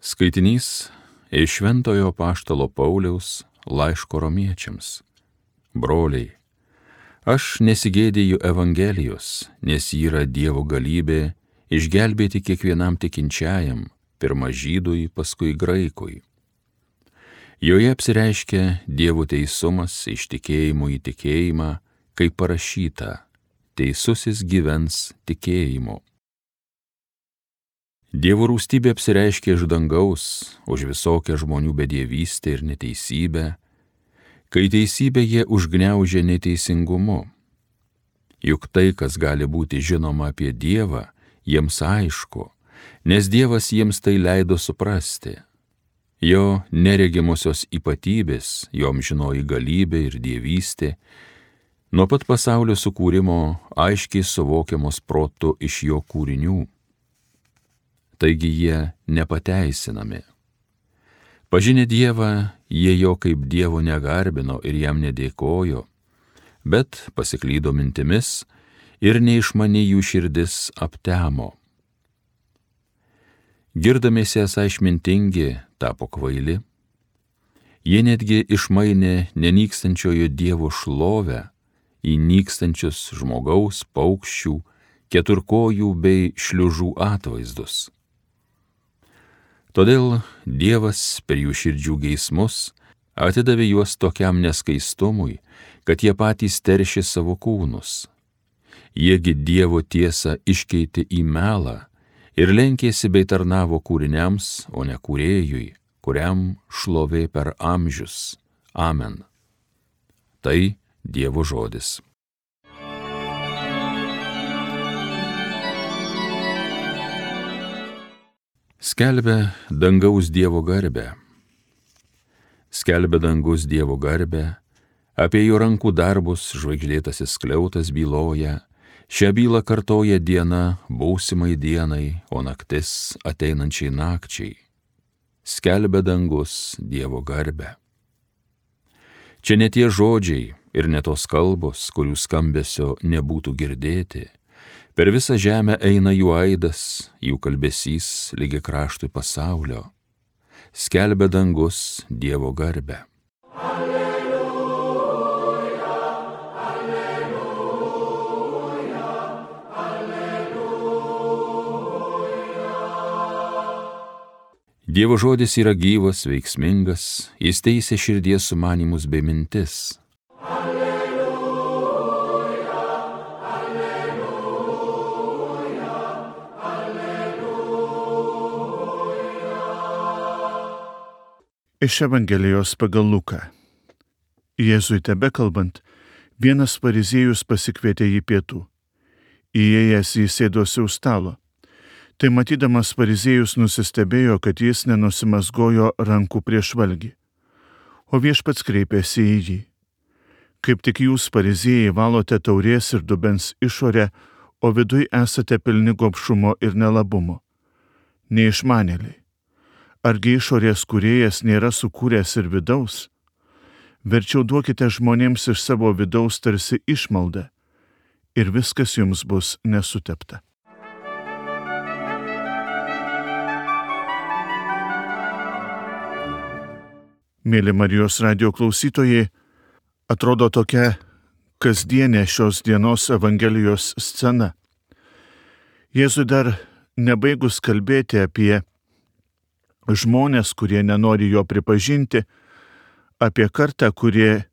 Skaitinys iš Šventojo Apaštalo Pauliaus laiško Romiečiams. Broliai, aš nesigėdiju Evangelijos, nes ji yra Dievo galybė išgelbėti kiekvienam tikinčiajam, pirma žydui, paskui graikui. Joje apsireiškia Dievo teisumas iš tikėjimo į tikėjimą, kaip parašyta, teisusis gyvens tikėjimu. Dievo rūstybė apsireiškia iš dangaus už visokią žmonių bedievystę ir neteisybę, kai teisybę jie užgniaužia neteisingumu. Juk tai, kas gali būti žinoma apie Dievą, jiems aišku, nes Dievas jiems tai leido suprasti. Jo neregimosios ypatybės, jo amžinoji galybė ir dievystė, nuo pat pasaulio sukūrimo aiškiai suvokiamos protu iš jo kūrinių. Taigi jie nepateisinami. Pažinę Dievą, jie jo kaip Dievo negarbino ir jam nedėkojo, bet pasiklydo mintimis ir neišmaniai jų širdis aptemo. Girdamiesi esą išmintingi, tapo kvaili. Jie netgi išmainė nenykstančiojo Dievo šlovę į nykstančius žmogaus, paukščių, keturkojų bei šliužų atvaizdus. Todėl Dievas per jų širdžių geismus atidavė juos tokiam neskaistumui, kad jie patys teršė savo kūnus. Jiegi Dievo tiesą iškeitė į melą ir lenkėsi bei tarnavo kūriniams, o ne kūrėjui, kuriam šlovė per amžius. Amen. Tai Dievo žodis. Skelbia dangaus Dievo garbę. Skelbia dangus Dievo garbę, apie jo rankų darbus žvaigždėtasis skliautas byloja, šią bylą kartoja diena būsimai dienai, o naktis ateinančiai nakčiai. Skelbia dangus Dievo garbę. Čia ne tie žodžiai ir ne tos kalbos, kurių skambesio nebūtų girdėti. Per visą žemę eina jų aidas, jų kalbesys lygi kraštui pasaulio. Skelbia dangus Dievo garbę. Alleluja, alleluja, alleluja. Dievo žodis yra gyvas, veiksmingas, jis teisia širdies sumanymus bei mintis. Iš Evangelijos pagal Luką. Jėzui tebekalbant, vienas fariziejus pasikvietė jį pietų. Įėjęs jis sėdosi už stalo. Tai matydamas fariziejus nusistebėjo, kad jis nenusimasgojo rankų prieš valgį. O viešpats kreipėsi į jį. Kaip tik jūs, fariziejai, valote taurės ir dubens išorę, o viduj esate pilni gobšumo ir nelabumo. Neišmanėliai. Argi išorės kūrėjas nėra sukūręs ir vidaus? Verčiau duokite žmonėms iš savo vidaus tarsi išmaldą, ir viskas jums bus nesutepta. Mėly Marijos radijo klausytojai, atrodo tokia kasdienė šios dienos Evangelijos scena. Jėzui dar nebaigus kalbėti apie žmonės, kurie nenori jo pripažinti, apie kartą, kurie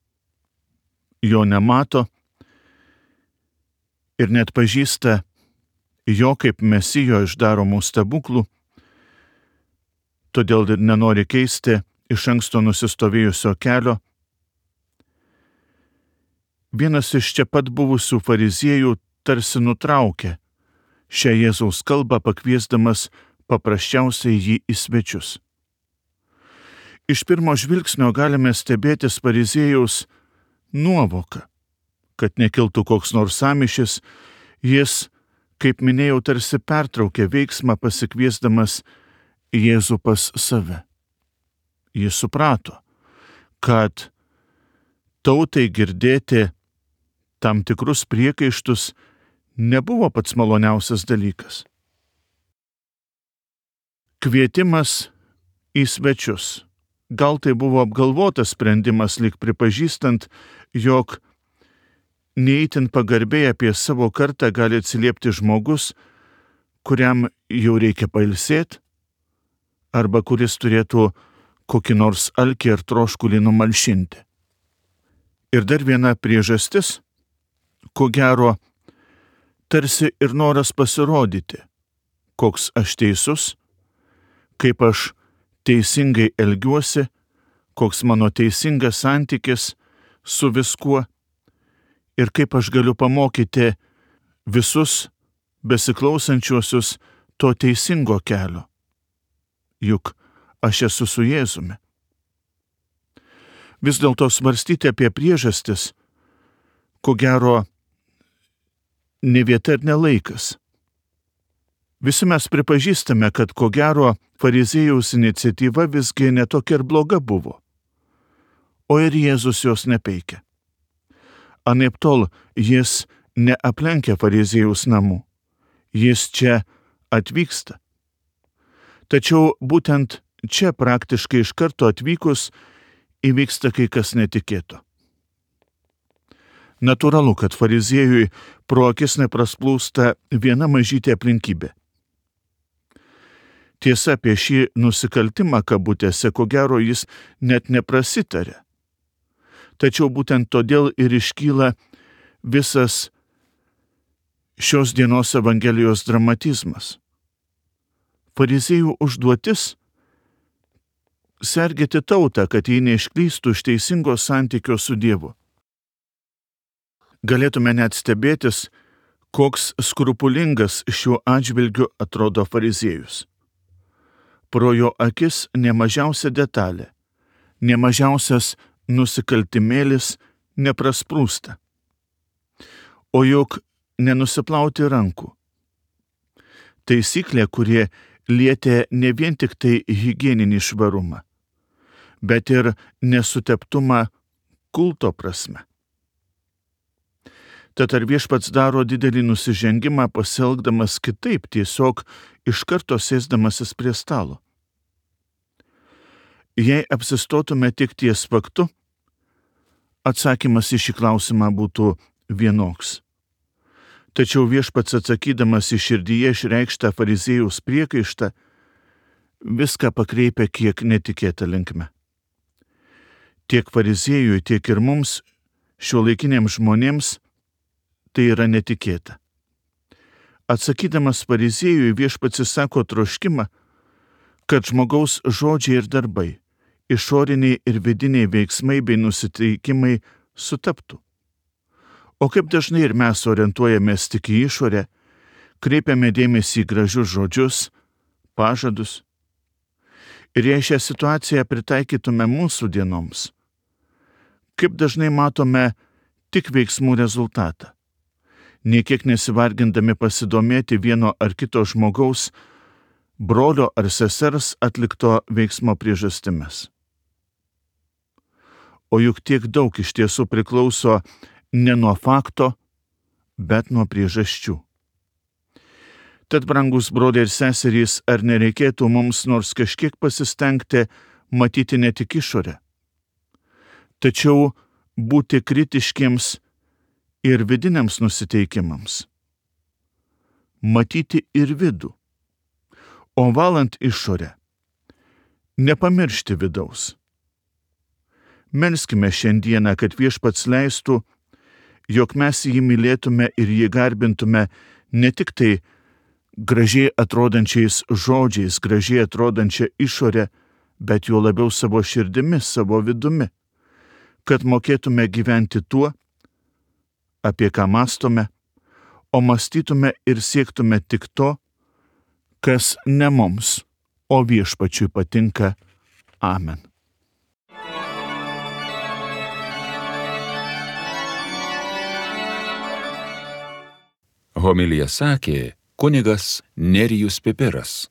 jo nemato ir net pažįsta jo kaip Mesijo išdaromų stebuklų, todėl ir nenori keisti iš anksto nusistovėjusio kelio. Vienas iš čia pat buvusių fariziejų tarsi nutraukė šią Jėzaus kalbą, pakviesdamas paprasčiausiai jį į svečius. Iš pirmo žvilgsnio galime stebėtis fariziejaus nuovoką, kad nekiltų koks nors sąmyšis, jis, kaip minėjau, tarsi pertraukė veiksmą pasikviesdamas Jėzų pas save. Jis suprato, kad tautai girdėti tam tikrus priekaištus nebuvo pats maloniausias dalykas. Kvietimas į svečius. Gal tai buvo apgalvotas sprendimas, lyg pripažįstant, jog neįtin pagarbiai apie savo kartą gali atsiliepti žmogus, kuriam jau reikia pailsėti, arba kuris turėtų kokį nors alkį ir troškulį numalšinti. Ir dar viena priežastis, ko gero, tarsi ir noras pasirodyti, koks aš teisus, kaip aš teisingai elgiuosi, koks mano teisingas santykis su viskuo ir kaip aš galiu pamokyti visus besiklausančiuosius to teisingo kelio. Juk aš esu su Jėzumi. Vis dėlto svarstyti apie priežastis, ko gero, ne vieta ir ne laikas. Visi mes pripažįstame, kad ko gero fariziejaus iniciatyva visgi netokia ir bloga buvo, o ir Jėzus jos nepeikia. Anaiptol jis neaplenkia fariziejaus namų, jis čia atvyksta. Tačiau būtent čia praktiškai iš karto atvykus įvyksta kai kas netikėto. Natūralu, kad fariziejui pro akis neprasplūsta viena mažytė aplinkybė. Tiesa, apie šį nusikaltimą kabutėse, ko gero, jis net neprasitarė. Tačiau būtent todėl ir iškyla visas šios dienos Evangelijos dramatizmas. Fariziejų užduotis – sergėti tautą, kad jie neišklystų iš teisingo santykio su Dievu. Galėtume net stebėtis, koks skrupulingas šiuo atžvilgiu atrodo fariziejus. Pro jo akis nemažiausia detalė, nemažiausias nusikaltimėlis neprasprūsta. O juk nenusiplauti rankų. Taisyklė, kurie lietė ne vien tik tai higieninį švarumą, bet ir nesuteptumą kulto prasme. Tad ar viešpats daro didelį nusižengimą pasielgdamas kitaip, tiesiog iš karto sėsdamasis prie stalo? Jei apsistotume tik ties faktu, atsakymas į šį klausimą būtų vienoks. Tačiau viešpats atsakydamas į širdyje išreikštą fariziejaus priekaištą, viską pakreipia kiek netikėta linkme. Tiek fariziejui, tiek ir mums, šiuolaikiniams žmonėms, tai yra netikėta. Atsakydamas fariziejui, viešpats išsako troškimą, kad žmogaus žodžiai ir darbai, išoriniai ir vidiniai veiksmai bei nusiteikimai sutaptų. O kaip dažnai ir mes orientuojamės tik į išorę, kreipiame dėmesį į gražius žodžius, pažadus. Ir jei šią situaciją pritaikytume mūsų dienoms, kaip dažnai matome tik veiksmų rezultatą, niekiek nesivargindami pasidomėti vieno ar kito žmogaus, brolio ar sesers atlikto veiksmo priežastimis. O juk tiek daug iš tiesų priklauso ne nuo fakto, bet nuo priežasčių. Tad, brangus broliai ir seserys, ar nereikėtų mums nors kažkiek pasistengti matyti ne tik išorę, tačiau būti kritiškiems ir vidiniams nusiteikimams. Matyti ir vidų, o valant išorę, nepamiršti vidaus. Melskime šiandieną, kad viešpats leistų, jog mes jį mylėtume ir jį garbintume ne tik tai gražiai atrodančiais žodžiais, gražiai atrodančia išorė, bet juo labiau savo širdimi, savo vidumi, kad mokėtume gyventi tuo, apie ką mąstome, o mąstytume ir siektume tik to, kas ne mums, o viešpačiui patinka. Amen. Homiliją sakė kunigas Nerijus Pipiras.